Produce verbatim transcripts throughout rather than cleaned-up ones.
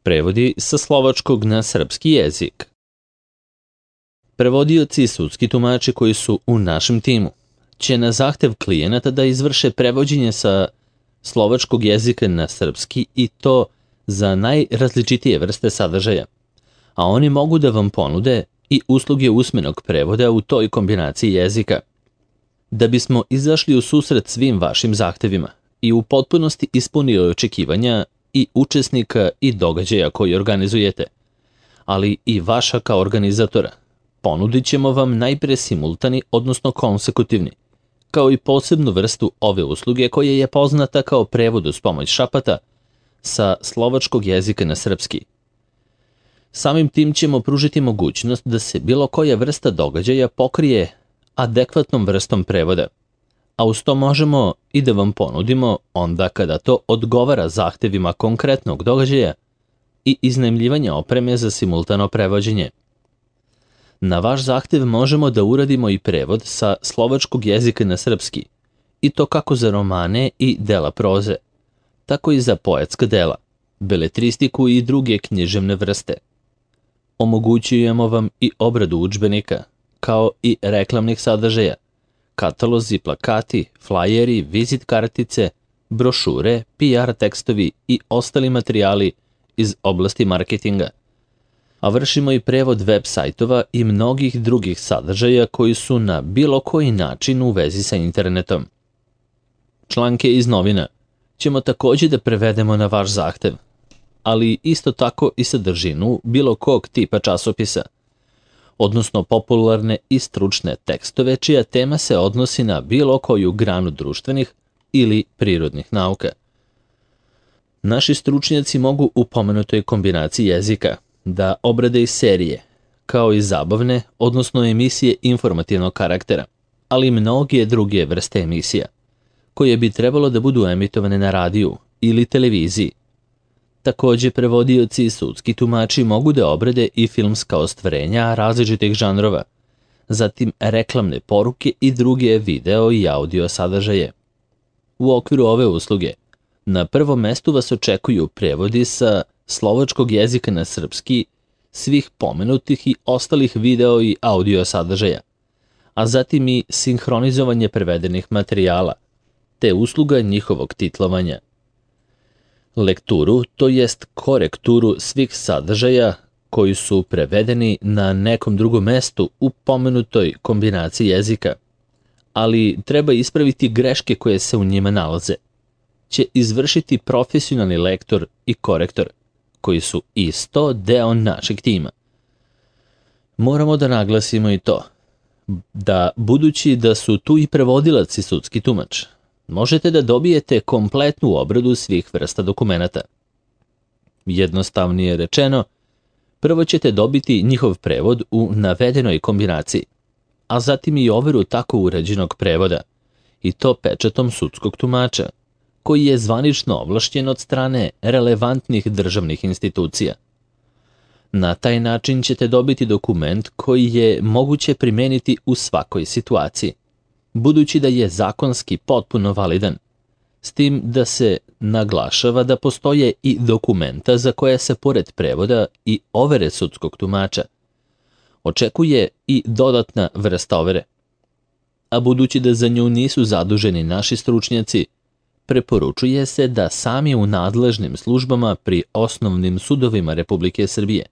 Prevodi sa slovačkog na srpski jezik. Prevodioci i sudski tumači koji su u našem timu će na zahtev klijenata da izvrše prevođenje sa slovačkog jezika na srpski i to za najrazličitije vrste sadržaja, a oni mogu da vam ponude i usluge usmenog prevoda u toj kombinaciji jezika. Da bismo izašli u susret svim vašim zahtevima i u potpunosti ispunili očekivanja i učesnika i događaja koji organizujete, ali i vaša kao organizatora, ponudit ćemo vam najpre simultani, odnosno konsekutivni, kao i posebnu vrstu ove usluge koja je poznata kao prevod uz pomoć šapata sa slovačkog jezika na srpski. Samim tim ćemo pružiti mogućnost da se bilo koja vrsta događaja pokrije adekvatnom vrstom prevoda, a uz to možemo i da vam ponudimo onda kada to odgovara zahtevima konkretnog događaja i iznajmljivanja opreme za simultano prevođenje. Na vaš zahtev možemo da uradimo i prevod sa slovačkog jezika na srpski, i to kako za romane i dela proze, tako i za poetska dela, beletristiku i druge književne vrste. Omogućujemo vam i obradu udžbenika, kao i reklamnih sadržaja, katalozi, plakati, flajeri, vizit kartice, brošure, P R tekstovi i ostali materijali iz oblasti marketinga. A vršimo i prevod web sajtova i mnogih drugih sadržaja koji su na bilo koji način u vezi sa internetom. Članke iz novina ćemo također da prevedemo na vaš zahtev, ali isto tako i sadržinu bilo kog tipa časopisa, odnosno popularne i stručne tekstove čija tema se odnosi na bilo koju granu društvenih ili prirodnih nauka. Naši stručnjaci mogu u pomenutoj kombinaciji jezika da obrade i serije, kao i zabavne, odnosno emisije informativnog karaktera, ali i mnoge druge vrste emisija, koje bi trebalo da budu emitovane na radiju ili televiziji. Također, prevodioci i sudski tumači mogu da obrade i filmska ostvarenja različitih žanrova, zatim reklamne poruke i druge video i audio sadržaje. U okviru ove usluge, na prvom mestu vas očekuju prevodi sa slovačkog jezika na srpski svih pomenutih i ostalih video i audio sadržaja, a zatim i sinhronizovanje prevedenih materijala, te usluga njihovog titlovanja. Lekturu, to jest korekturu svih sadržaja koji su prevedeni na nekom drugom mestu u pomenutoj kombinaciji jezika, ali treba ispraviti greške koje se u njima nalaze, će izvršiti profesionalni lektor i korektor, koji su isto deo našeg tima. Moramo da naglasimo i to, da budući da su tu i prevodilac i sudski tumač, možete da dobijete kompletnu obradu svih vrsta dokumenata. Jednostavnije rečeno, prvo ćete dobiti njihov prevod u navedenoj kombinaciji, a zatim i overu tako urađenog prevoda, i to pečatom sudskog tumača, koji je zvanično ovlašćen od strane relevantnih državnih institucija. Na taj način ćete dobiti dokument koji je moguće primeniti u svakoj situaciji, budući da je zakonski potpuno validan, s tim da se naglašava da postoje i dokumenta za koje se pored prevoda i overe sudskog tumača očekuje i dodatna vrsta overe. A budući da za nju nisu zaduženi naši stručnjaci, preporučuje se da sami u nadležnim službama pri osnovnim sudovima Republike Srbije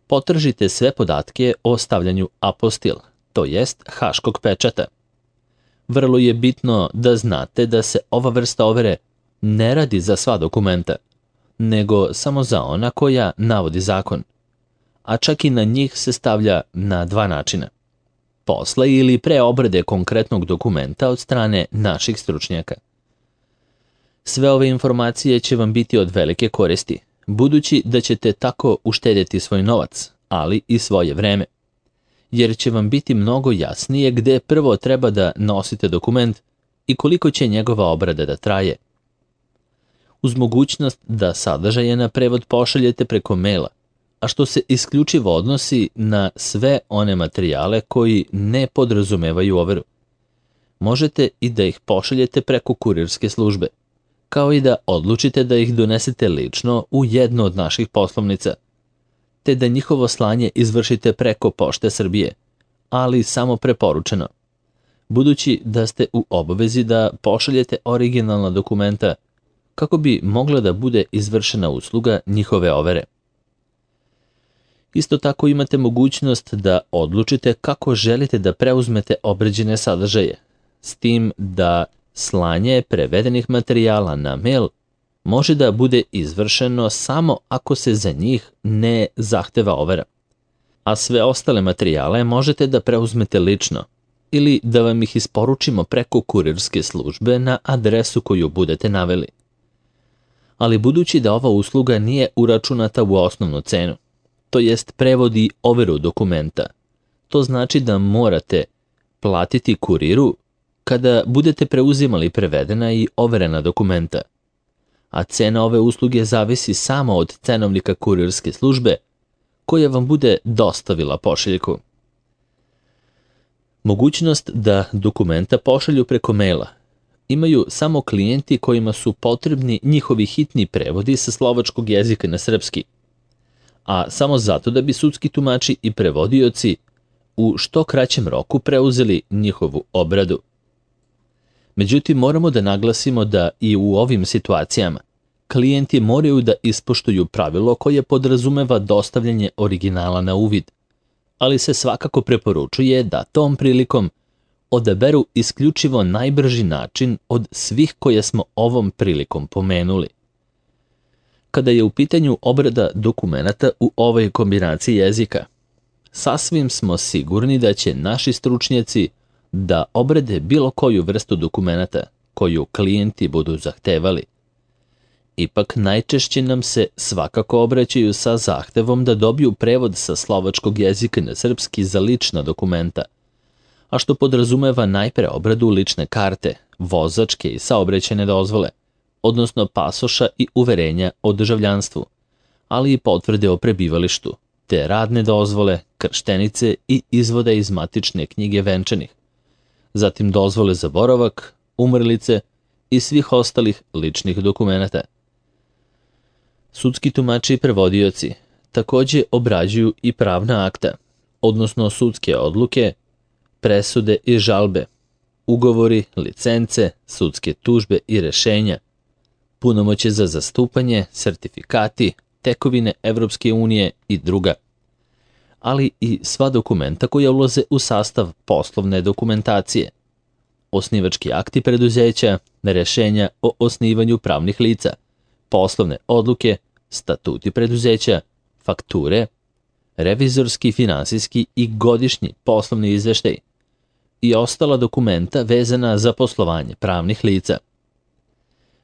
potražite sve podatke o stavljanju apostil, to jest haškog pečata. Vrlo je bitno da znate da se ova vrsta overe ne radi za sva dokumenta, nego samo za ona koja navodi zakon, a čak i na njih se stavlja na dva načina: posle ili pre obrade konkretnog dokumenta od strane naših stručnjaka. Sve ove informacije će vam biti od velike koristi, budući da ćete tako uštedjeti svoj novac, ali i svoje vreme, jer će vam biti mnogo jasnije gde prvo treba da nosite dokument i koliko će njegova obrada da traje. Uz mogućnost da sadržaje na prevod pošaljete preko maila, a što se isključivo odnosi na sve one materijale koji ne podrazumevaju overu. Možete i da ih pošaljete preko kurirske službe, kao i da odlučite da ih donesete lično u jednu od naših poslovnica, te da njihovo slanje izvršite preko Pošte Srbije, ali samo preporučeno, budući da ste u obavezi da pošaljete originalna dokumenta kako bi mogla da bude izvršena usluga njihove overe. Isto tako imate mogućnost da odlučite kako želite da preuzmete obrađene sadržaje, s tim da slanje prevedenih materijala na mail može da bude izvršeno samo ako se za njih ne zahteva overa, a sve ostale materijale možete da preuzmete lično ili da vam ih isporučimo preko kurirske službe na adresu koju budete naveli. Ali budući da ova usluga nije uračunata u osnovnu cenu, to jest prevod i overu dokumenta, to znači da morate platiti kuriru kada budete preuzimali prevedena i overena dokumenta, a cena ove usluge zavisi samo od cenovnika kurirske službe koja vam bude dostavila pošiljku. Mogućnost da dokumenta pošalju preko maila imaju samo klijenti kojima su potrebni njihovi hitni prevodi sa slovačkog jezika na srpski, a samo zato da bi sudski tumači i prevodioci u što kraćem roku preuzeli njihovu obradu. Međutim, moramo da naglasimo da i u ovim situacijama klijenti moraju da ispoštuju pravilo koje podrazumeva dostavljanje originala na uvid, ali se svakako preporučuje da tom prilikom odaberu isključivo najbrži način od svih koje smo ovom prilikom pomenuli. Kada je u pitanju obrada dokumenata u ovoj kombinaciji jezika, sasvim smo sigurni da će naši stručnjaci da obrade bilo koju vrstu dokumenata koju klijenti budu zahtevali. Ipak najčešće nam se svakako obraćaju sa zahtevom da dobiju prevod sa slovačkog jezika na srpski za lična dokumenta, a što podrazumeva najpre obradu lične karte, vozačke i saobraćajne dozvole, odnosno pasoša i uverenja o državljanstvu, ali i potvrde o prebivalištu, te radne dozvole, krštenice i izvode iz matične knjige venčanih, zatim dozvole za boravak, umrlice i svih ostalih ličnih dokumenata. Sudski tumači i prevodioci takođe obrađuju i pravna akta, odnosno sudske odluke, presude i žalbe, ugovori, licence, sudske tužbe i rešenja, punomoćje za zastupanje, sertifikati, tekovine Evropske unije i druga, ali i sva dokumenta koja ulaze u sastav poslovne dokumentacije, osnivački akti preduzeća, rešenja o osnivanju pravnih lica, poslovne odluke, statuti preduzeća, fakture, revizorski, finansijski i godišnji poslovni izveštaj i ostala dokumenta vezana za poslovanje pravnih lica.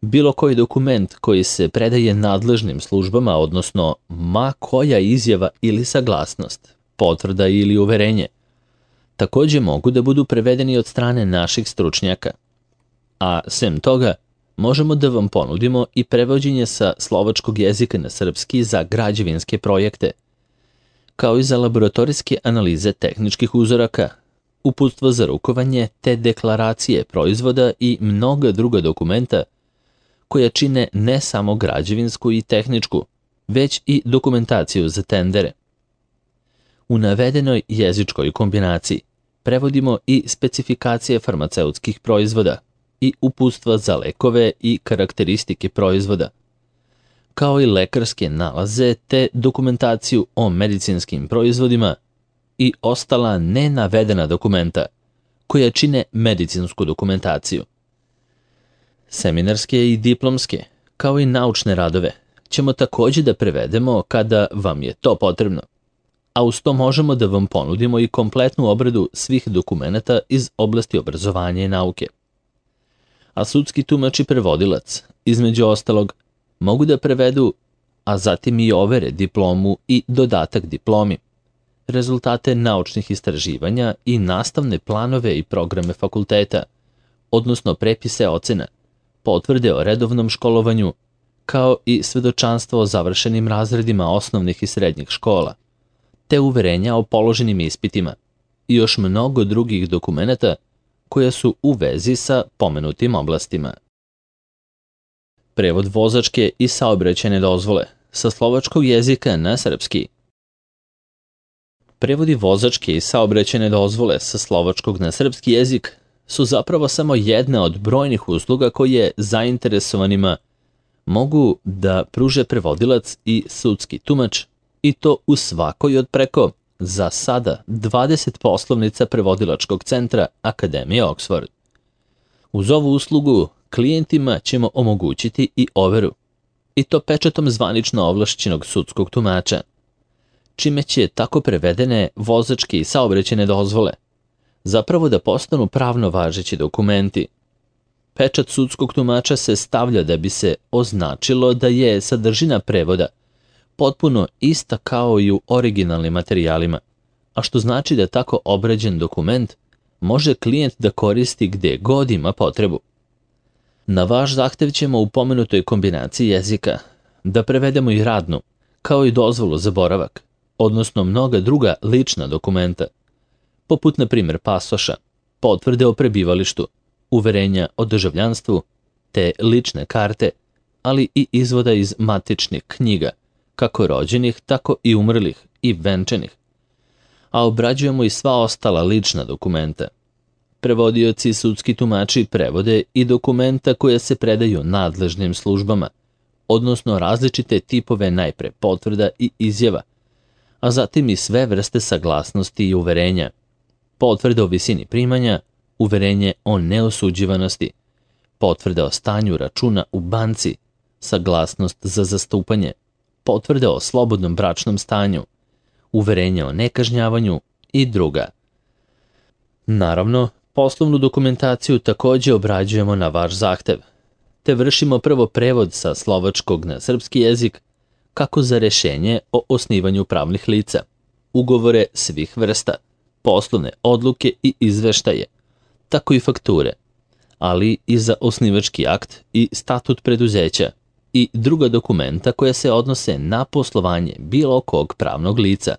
Bilo koji dokument koji se predaje nadležnim službama, odnosno ma koja izjava ili saglasnost, potvrda ili uverenje, takođe mogu da budu prevedeni od strane naših stručnjaka. A sem toga, možemo da vam ponudimo i prevođenje sa slovačkog jezika na srpski za građevinske projekte, kao i za laboratorijske analize tehničkih uzoraka, uputstva za rukovanje te deklaracije proizvoda i mnoga druga dokumenta koja čine ne samo građevinsku i tehničku, već i dokumentaciju za tendere. U navedenoj jezičkoj kombinaciji prevodimo i specifikacije farmaceutskih proizvoda i uputstva za lekove i karakteristike proizvoda, kao i lekarske nalaze te dokumentaciju o medicinskim proizvodima i ostala nenavedena dokumenta koja čine medicinsku dokumentaciju. Seminarske i diplomske, kao i naučne radove, ćemo takođe da prevedemo kada vam je to potrebno, a uz to možemo da vam ponudimo i kompletnu obradu svih dokumenata iz oblasti obrazovanja i nauke. A sudski tumač i prevodilac, između ostalog, mogu da prevedu, a zatim i overe diplomu i dodatak diplomi, rezultate naučnih istraživanja i nastavne planove i programe fakulteta, odnosno prepise ocena, potvrde o redovnom školovanju, kao i svedočanstvo o završenim razredima osnovnih i srednjih škola, te uverenja o položenim ispitima i još mnogo drugih dokumenata koja su u vezi sa pomenutim oblastima. Prevod vozačke i saobraćajne dozvole sa slovačkog jezika na srpski. Prevodi vozačke i saobraćajne dozvole sa slovačkog na srpski jezik su zapravo samo jedna od brojnih usluga koje zainteresovanima mogu da pruže prevodilac i sudski tumač, i to u svakoj od preko, za sada, dvadeset poslovnica prevodilačkog centra Akademije Oxford. Uz ovu uslugu klijentima ćemo omogućiti i overu, i to pečatom zvanično ovlašćenog sudskog tumača, čime će tako prevedene vozačke i saobraćajne dozvole zapravo da postanu pravno važeći dokumenti. Pečat sudskog tumača se stavlja da bi se označilo da je sadržina prevoda potpuno ista kao i u originalnim materijalima, a što znači da tako obrađen dokument može klijent da koristi gde god ima potrebu. Na vaš zahtev ćemo u pomenutoj kombinaciji jezika da prevedemo i radnu, kao i dozvolu za boravak, odnosno mnoga druga lična dokumenta, poput na primjer pasoša, potvrde o prebivalištu, uverenja o državljanstvu, te lične karte, ali i izvoda iz matičnih knjiga, kako rođenih, tako i umrlih i venčanih, a obrađujemo i sva ostala lična dokumenta. Prevodioci i sudski tumači prevode i dokumenta koje se predaju nadležnim službama, odnosno različite tipove najpre potvrda i izjava, a zatim i sve vrste saglasnosti i uverenja, potvrde o visini primanja, uverenje o neosuđivanosti, potvrde o stanju računa u banci, saglasnost za zastupanje, potvrde o slobodnom bračnom stanju, uverenje o nekažnjavanju i druga. Naravno, poslovnu dokumentaciju takođe obrađujemo na vaš zahtev, te vršimo prvo prevod sa slovačkog na srpski jezik, kako za rešenje o osnivanju pravnih lica, ugovore svih vrsta, poslovne odluke i izveštaje, tako i fakture, ali i za osnivački akt i statut preduzeća i druga dokumenta koja se odnose na poslovanje bilo kog pravnog lica,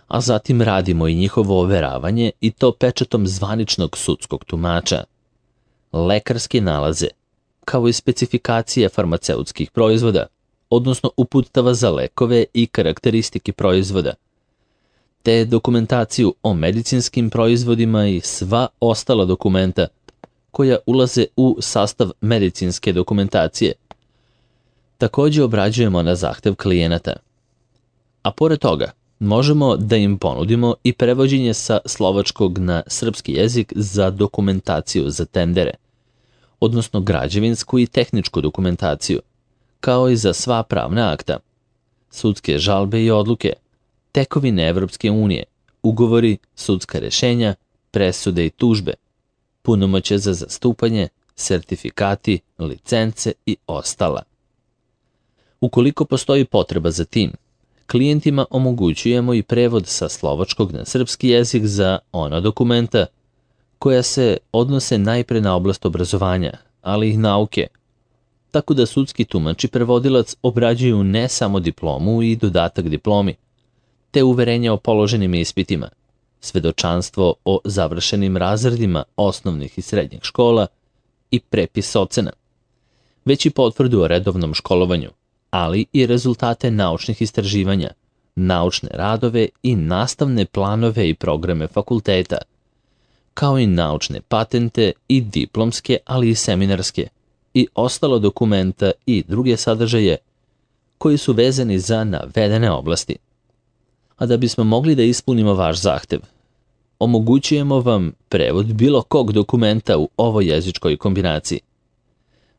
a zatim radimo i njihovo overavanje i to pečatom zvaničnog sudskog tumača. Lekarske nalaze, kao i specifikacije farmaceutskih proizvoda, odnosno uputstava za lekove i karakteristike proizvoda, te dokumentaciju o medicinskim proizvodima i sva ostala dokumenta koja ulaze u sastav medicinske dokumentacije, takođe obrađujemo na zahtev klijenata. A pored toga, možemo da im ponudimo i prevođenje sa slovačkog na srpski jezik za dokumentaciju za tendere, odnosno građevinsku i tehničku dokumentaciju, kao i za sva pravna akta, sudske žalbe i odluke, tekovine Evropske unije, ugovori, sudska rešenja, presude i tužbe, punomoćje za zastupanje, sertifikati, licence i ostala. Ukoliko postoji potreba za tim, klijentima omogućujemo i prevod sa slovačkog na srpski jezik za ona dokumenta koja se odnose najpre na oblast obrazovanja, ali i nauke, tako da sudski tumač i prevodilac obrađuju ne samo diplomu i dodatak diplomi, te uverenja o položenim ispitima, svedočanstvo o završenim razredima osnovnih i srednjih škola i prepis ocena, već i potvrdu o redovnom školovanju, ali i rezultate naučnih istraživanja, naučne radove i nastavne planove i programe fakulteta, kao i naučne patente i diplomske, ali i seminarske, i ostalo dokumenta i druge sadržaje koji su vezani za navedene oblasti. A da bismo mogli da ispunimo vaš zahtev, omogućujemo vam prevod bilo kog dokumenta u ovoj jezičkoj kombinaciji.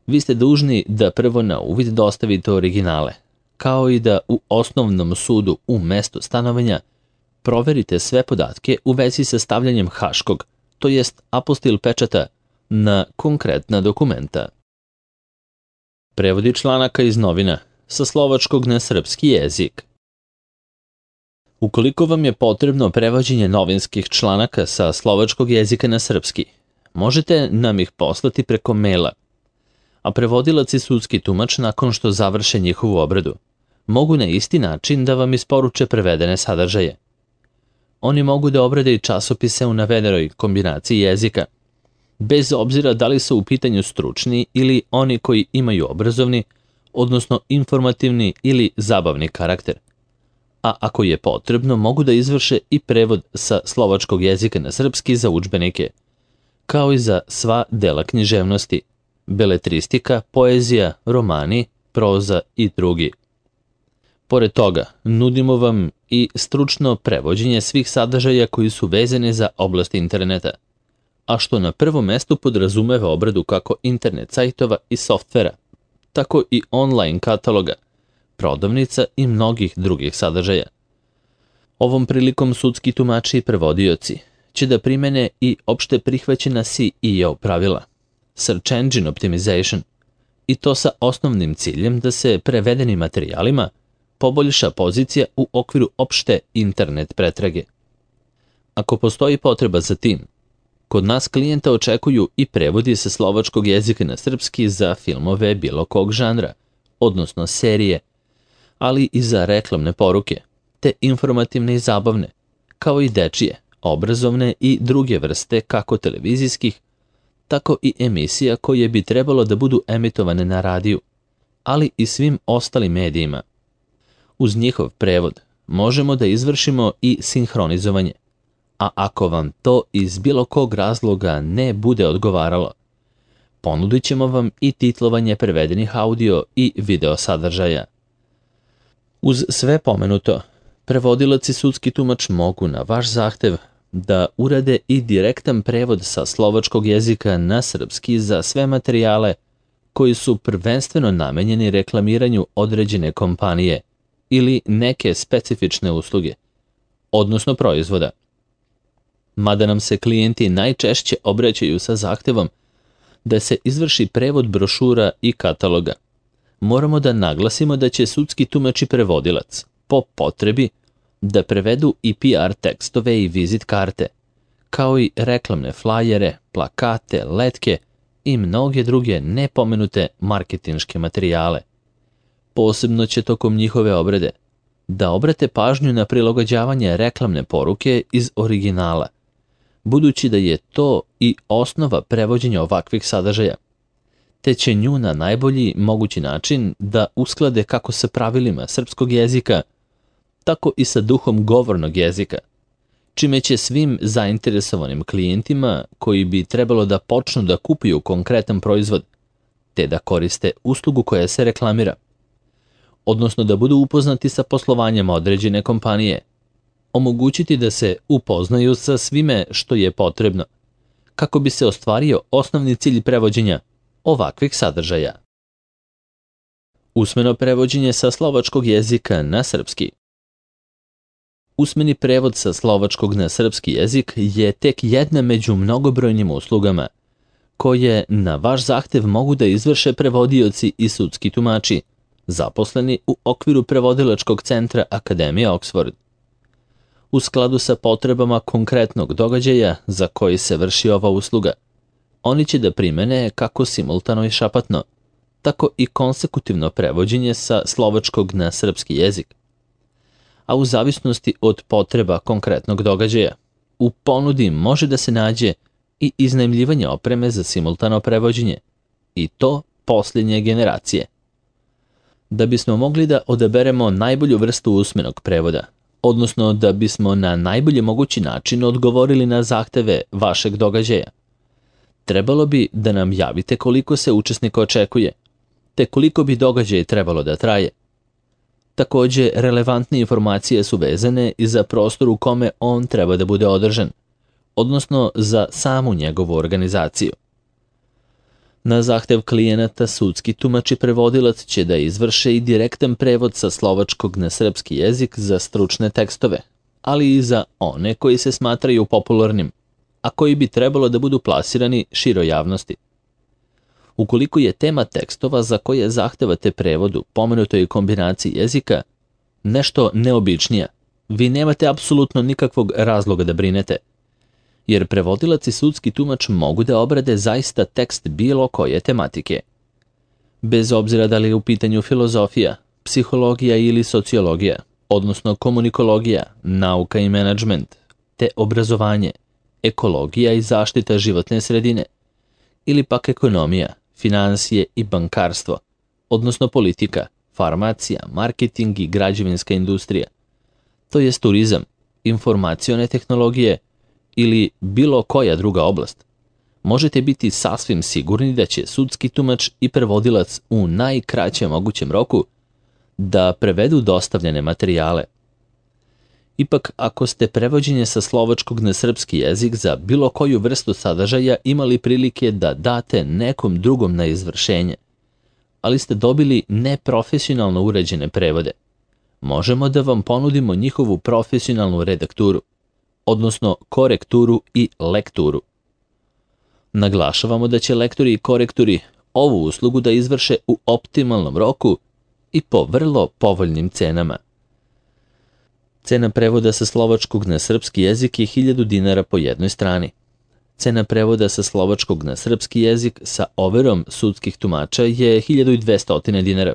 Vi ste dužni da prvo na uvid dostavite originale, kao i da u osnovnom sudu u mestu stanovanja proverite sve podatke u vezi sa stavljanjem haškog, to jest apostil pečata, na konkretna dokumenta. Prevodi članaka iz novina sa slovačkog na srpski jezik. Ukoliko vam je potrebno prevođenje novinskih članaka sa slovačkog jezika na srpski, možete nam ih poslati preko maila, a prevodilac i sudski tumač nakon što završe njihovu obradu mogu na isti način da vam isporuče prevedene sadržaje. Oni mogu da obrade i časopise u navedenoj kombinaciji jezika, bez obzira da li su u pitanju stručni ili oni koji imaju obrazovni, odnosno informativni ili zabavni karakter. A ako je potrebno, mogu da izvrše i prevod sa slovačkog jezika na srpski za udžbenike, kao i za sva dela književnosti, beletristika, poezija, romani, proza i drugi. Pored toga, nudimo vam i stručno prevođenje svih sadržaja koji su vezani za oblast interneta, a što na prvom mestu podrazumeva obradu kako internet sajtova i softvera, tako i online kataloga, prodavnica i mnogih drugih sadržaja. Ovom prilikom sudski tumači i prevodioci će da primene i opšte prihvaćena S E O pravila, Search Engine Optimization, i to sa osnovnim ciljem da se prevedenim materijalima poboljša pozicija u okviru opšte internet pretrage. Ako postoji potreba za tim, kod nas klijenta očekuju i prevodi sa slovačkog jezika na srpski za filmove bilo kog žanra, odnosno serije, ali i za reklamne poruke, te informativne i zabavne, kao i dečije, obrazovne i druge vrste kako televizijskih, tako i emisija koje bi trebalo da budu emitovane na radiju, ali i svim ostalim medijima. Uz njihov prevod možemo da izvršimo i sinhronizovanje, a ako vam to iz bilo kog razloga ne bude odgovaralo, ponudit ćemo vam i titlovanje prevedenih audio i video sadržaja. Uz sve pomenuto, prevodilac i sudski tumač mogu na vaš zahtev da urade i direktan prevod sa slovačkog jezika na srpski za sve materijale koji su prvenstveno namenjeni reklamiranju određene kompanije ili neke specifične usluge, odnosno proizvoda. Mada nam se klijenti najčešće obraćaju sa zahtevom da se izvrši prevod brošura i kataloga, moramo da naglasimo da će sudski tumač i prevodilac, po potrebi, da prevedu i P R tekstove i vizit karte, kao i reklamne flajere, plakate, letke i mnoge druge nepomenute marketinške materijale. Posebno će tokom njihove obrade da obrate pažnju na prilagođavanje reklamne poruke iz originala, budući da je to i osnova prevođenja ovakvih sadržaja, te će nju na najbolji mogući način da usklade kako sa pravilima srpskog jezika, tako i sa duhom govornog jezika, čime će svim zainteresovanim klijentima koji bi trebalo da počnu da kupuju konkretan proizvod, te da koriste uslugu koja se reklamira, odnosno da budu upoznati sa poslovanjem određene kompanije, omogućiti da se upoznaju sa svime što je potrebno, kako bi se ostvario osnovni cilj prevođenja ovakvih sadržaja. Usmeno prevođenje sa slovačkog jezika na srpski. Usmeni prevod sa slovačkog na srpski jezik je tek jedna među mnogobrojnim uslugama, koje na vaš zahtev mogu da izvrše prevodioci i sudski tumači, zaposleni u okviru prevodilačkog centra Akademije Oxford. U skladu sa potrebama konkretnog događaja za koji se vrši ova usluga, oni će da primene kako simultano i šapatno, tako i konsekutivno prevođenje sa slovačkog na srpski jezik. A u zavisnosti od potreba konkretnog događaja, u ponudi može da se nađe i iznajmljivanje opreme za simultano prevođenje, i to posljednje generacije. Da bismo mogli da odaberemo najbolju vrstu usmenog prevoda, odnosno da bismo na najbolji mogući način odgovorili na zahteve vašeg događaja, trebalo bi da nam javite koliko se učesnika očekuje, te koliko bi događaj trebalo da traje. Takođe, relevantne informacije su vezane i za prostor u kome on treba da bude održan, odnosno za samu njegovu organizaciju. Na zahtev klijenata sudski tumač i prevodilac će da izvrše i direktan prevod sa slovačkog na srpski jezik za stručne tekstove, ali i za one koji se smatraju popularnim, a koji bi trebalo da budu plasirani široj javnosti. Ukoliko je tema tekstova za koje zahtevate prevod u pomenutoj kombinaciji jezika nešto neobičnija, vi nemate apsolutno nikakvog razloga da brinete, jer prevodilac i sudski tumač mogu da obrade zaista tekst bilo koje tematike. Bez obzira da li je u pitanju filozofija, psihologija ili sociologija, odnosno komunikologija, nauka i menadžment, te obrazovanje, ekologija i zaštita životne sredine, ili pak ekonomija, finansije i bankarstvo, odnosno politika, farmacija, marketing i građevinska industrija, to jest turizam, informacione tehnologije ili bilo koja druga oblast, možete biti sasvim sigurni da će sudski tumač i prevodilac u najkraćem mogućem roku da prevedu dostavljene materijale. Ipak, ako ste prevođenje sa slovačkog na srpski jezik za bilo koju vrstu sadržaja imali prilike da date nekom drugom na izvršenje, ali ste dobili neprofesionalno urađene prevode, možemo da vam ponudimo njihovu profesionalnu redakturu, odnosno korekturu i lekturu. Naglašavamo da će lektori i korektori ovu uslugu da izvrše u optimalnom roku i po vrlo povoljnim cenama. Cena prevoda sa slovačkog na srpski jezik je hiljadu dinara po jednoj strani. Cena prevoda sa slovačkog na srpski jezik sa overom sudskih tumača je hiljadu dvesta dinara.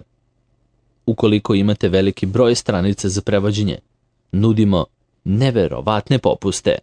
Ukoliko imate veliki broj stranica za prevođenje, nudimo neverovatne popuste.